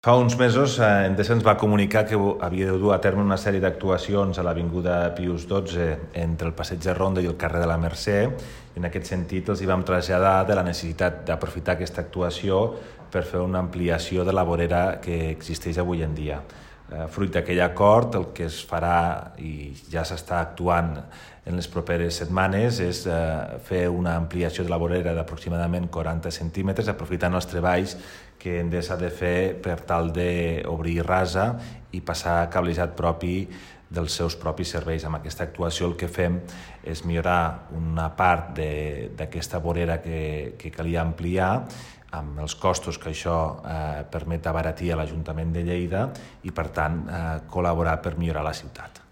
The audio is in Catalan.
Fa uns mesos Endesa ens va comunicar que havia de dur a terme una sèrie d'actuacions a l'Avinguda Pius XII entre el Passeig de Ronda i el carrer de la Mercè. En aquest sentit els hi vam traslladar de la necessitat d'aprofitar aquesta actuació per fer una ampliació de la vorera que existeix avui en dia. Fruit d'aquell acord, el que es farà i ja s'està actuant en les properes setmanes és fer una ampliació de la vorera d'aproximadament 40 centímetres, aprofitant els treballs que Endesa ha de fer per tal d'obrir rasa i passar cablejat propi dels seus propis serveis. Amb aquesta actuació el que fem és millorar una part d'aquesta vorera que calia ampliar amb els costos que això permet abaratir a l'Ajuntament de Lleida i, per tant, col·laborar per millorar la ciutat.